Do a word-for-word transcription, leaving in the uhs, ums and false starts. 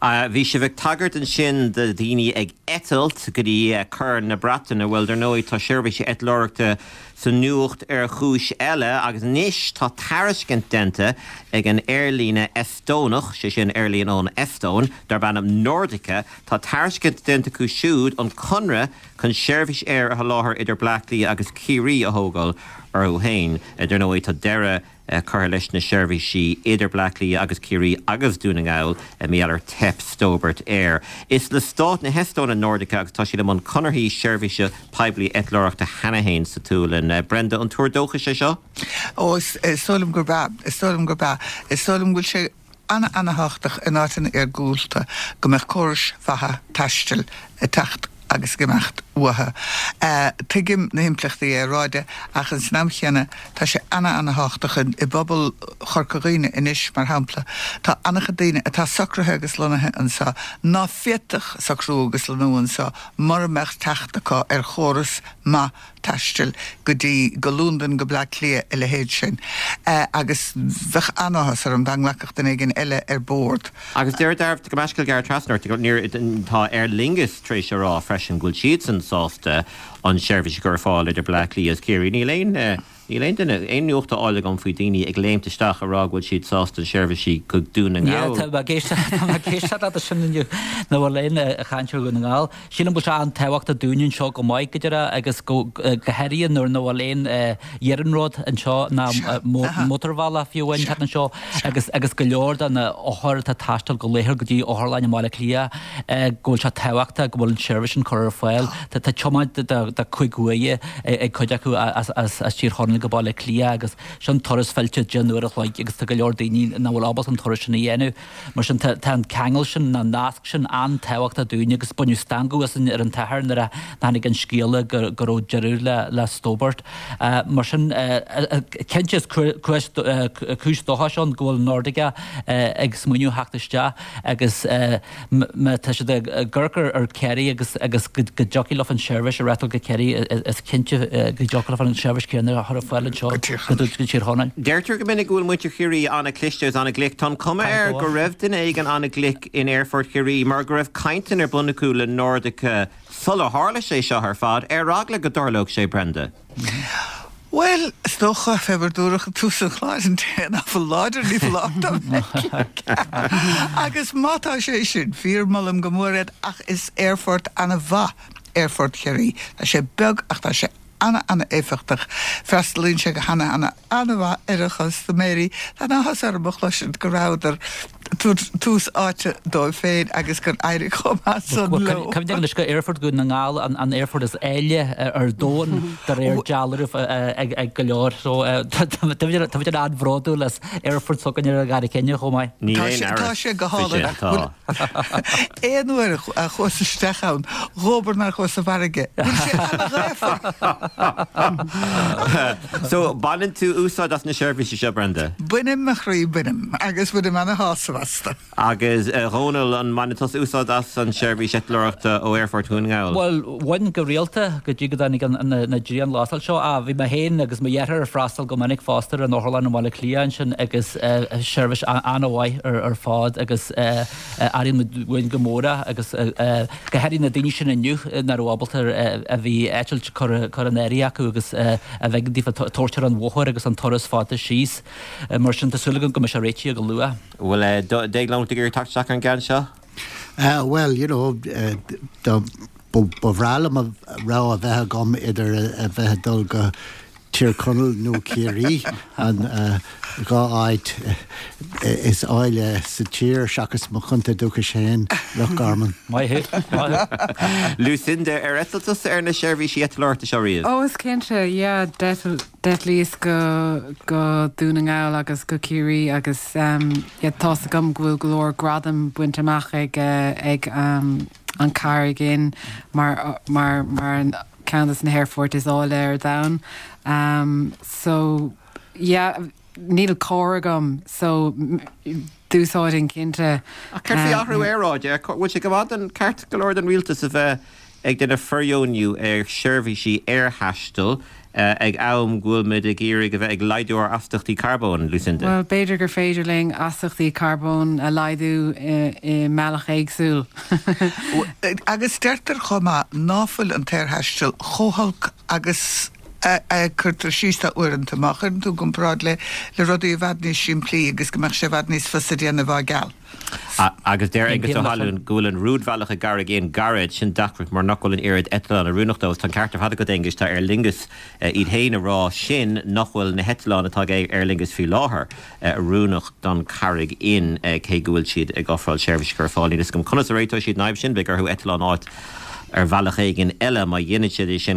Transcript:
Bhí sibh ag tagairt ansin do daoine ag eitilt go dtí Corn na Breataine. Bhuel, dar ndóigh, tá seirbhísí eitleoireachta sa nuacht ar chúis eile agus anois tá tairiscint déanta ag an aerlíne Estónach, sé sin aerlíne ón Eastóin, darb ainm Nordica, tá tairiscint déanta acu siúd an conradh chun seirbhís aeir a sholáthar idir Bleá Cliath agus Ciarraí a thógáil orthu féin. Dar ndóigh, tá deireadh curtha leis na seirbhísí idir Bleá Cliath agus Ciarraí agus Dún na nGall mar gheall ar teip Stobart Air. Is le stát na hEastóine Nordica agus tá siad i mbun conarthaí seirbhíse poiblí eitleoireachta cheana féin sa tSualainn. Brenda, an tuar dóchais é seo? Ó, is dóigh liom gurb ea, is dóigh liom gurb ea. Is dóigh liom go bhfuil sé ana-ana-thábhachtach in áiteanna iargúlta go mbeadh córais mhaithe taistil ag teacht agus ag imeacht uathu. Tuigim na himpleachtaí aeráide ach ins an am chéanna tá sé ana-ana-thábhachtach i bpobal Chorca Dhuibhne anois, mar shampla, tá an-chuid daoine atá socraithe agus lonnaithe anseo ná féadfadh socrú agus lonnú anseo mura mbeadh teacht acu ar chóras maith taistil go dtí, go Londain, go Bleá Cliath, a leithéid sin. Agus bheadh an-áthas orm dá nglacfadh duine éigin eile ar bord. Agus deir Darbh go meascail gearr trasna ort, níor, tá Aer Lingus tar éis a rá freisin go bhfuil siadsan sásta an tseirbhís a chur ar fáil idir Bleá Cliath agus Ciarraí. Níl aon, níl aon duine, aon nuacht á fháil agam faoi daoine ag léimt isteach a rá go bhfuil siad sásta an seirbhísí go Dún na Yeah, nGall. tá mé ag éisteacht, tá mé ag éisteacht leat ansin inniu nach bhfuil aon chaint ar Dhún na nGall. Sílim go bhfuil sé an-tábhachtach dúinne anseo go maith go deireadh agus go, go háirithe nuair nach bhfuil aon iarnród anseo ná mótarbhealach fiú amháin thart anseo agus agus go leor de na hothair atá ag taisteal go laethúil go dtí otharlann i mBaile Átha Cliath go bhfuil sé tábhachtach go bhfuil an tseirbhís sin curtha ar fáil. Tá tá tiomáint de de cúig uaire ag cuid acu as as as Tír Chonaill go Baile Átha Cliath agus sin turas fillte deich n-uair a chloig agus tá go leor daoine nach bhfuil ábalta an turas sin a dhéanamh. Mar sin tá tá an ceangal sin, an nasc sin an-tábhachtach dúinne agus baineadh stangadh asainn ar an tsatharn nuair a tháinig an scéala go go raibh deireadh le le Stobart. Mar sin cinnte is cúis cúis dóchais ann go bhfuil Nordica ag smaoineamh theacht isteach agus má tá siad ag amharc ar Ciarraí agus agus go dtiocfaidh leo an seirbhís a reáchtáil go Ciarraí is cinnte go dtiocfaidh leo an seirbhís céanna a chur ar fáil anseo go Tír Chonaill. Deirtear go minic go bhfuil muintir Chiarraí an-chliste agus an-ghlic. Tá an cuma air go raibh duine éigin an-ghlic in Aerfort Chiarraí mar go raibh cainteanna ar bun acu le Nordica sular tharla sé seo ar fad, ar eagla go dtarlódh sé, Brenda. Bhuel, is dócha, fé mar dúradh ag tús an chláir, an té nach bhfuil láidir ní foláir dó bheith glic. Agus má tá sé sin fíor, molaim go mór iad ach is aerfort ana-mhaith Aerfort Chiarraí. Tá sé beag ach tá sé ana-ana-éifeachtach. Freastalaíonn sé go hana-ana ana-mhaith ar a chustaiméirí. Tá an-áthas orm a chloisint go rabhadar ag tabhairt tús áite dóibh féin agus gur éirigh chomh maith san leo. Cuimhnigh anois gur Aerfort Dhún na nGall an aerfort is áille ar domhan de réir dealraimh ag go leor. So tá muid an-bhródúil as aerfort s'againne ar an gCarraig Thine chomh maith. Níl aon amhras Tá sé go faoi hálainn sin, ach tá. Aon uair a chuas isteach ann, dhóbair nár chuas i bhfarraige. Bhfuil sé ana-ghaofa? So, baineann tú úsáid as na seirbhísí seo, Brenda? Bainim, a chroí, bainim. Agus bainim ana-shásamh astu. Agus, a Dhónaill, an mbaineann tusa úsáid as an seirbhís eitleoireachta ó Aerfort Dhún na nGall? Bhuel, bhain go rialta go dtí go dtáinig an na dianghlasáil seo. Ah, bhí mé féin agus mo dheartháir ag freastal go minic fosta ar an otharlann i mBaile Átha Cliath ansin agus seirbhís an-mhaith ar fad agus airíonn muid uainn go mór é agus go háirithe na daoine sin inniu nach raibh ábalta a bhí eitilt curtha in áirithe acu agus a bheidh daofa tabhairt ar an bhóthar agus an turas fada síos. Mar sin tá súil agam go mbeidh sé réitithe go luath. Bhfuil Déaglán ag iarraidh teacht isteach ar an gceann seo? Bhuel, you know, ba bhreá liom rogha a bheith agam idir a bheith ag dul go Tír Chonaill nó Ciarraí, an dhá áit is áille sa tír seachas mo chontae dúchais féin, Loch Garman. Maith thú, maith thú. Lucinda, ar eitil tusa ar na seirbhísí eitleoireachta seo riamh? Ó, is cinnte, yeah, d'eitlíos go go Dún na nGall agus go Ciarraí agus yeah, tá's agam go bhfuil go leor gradam bainte amach ag ag an Carraig Fhinn mar mar mar an ceann de na haerfoirt is áille ar domhan. Um, so yeah, níl carr agam so d'úsáidfinn cinnte. Ach céard faoi athrú aeráide? Bhfuil sé go maith den ceart go leor den rialtas a bheith ag déanamh fóirdheonú ar sheirbhísí aerthaistil ag am go bhfuil muid ag iarraidh a bheith ag laghdú ár astaíochtaí carbóin, Lucinda. Well, b'fhéidir gur féidir linn astaíochtaí carbóin a laghdú i mbealach éagsúil. Agus deirtear chomh maith ná fuil an t-aerthaisteal chomh holc agus a cuirtear síos air uaireanta má chuireann tú i gcomparáid le le rudaí i bhfad níos simplí agus go mbeadh sé i bhfad níos fusa déanamh á gceal. Agus deir Aengus Ó hAlmhain go bhfuil an rúidbhealach i gCarraig Fhinn gairid, sin deacracht mar nach bhfuil an oiread eitleán oiriúnach dó. Tá an ceart ar fad agat Aengus, tá Aer Lingus iad féin ag rá sin nach bhfuil na heitleáin atá ag Aer Lingus faoi láthair oiriúnach don Charraig Fhinn cé go bhfuil siad ag ofráil seirbhís a chur ar fáil. Níl a fhios agam conas a réiteoidh siad an fhadhb sin, beidh orthu eitleán a fháil ar bhealach éigin eile má dhéanann siad é sin.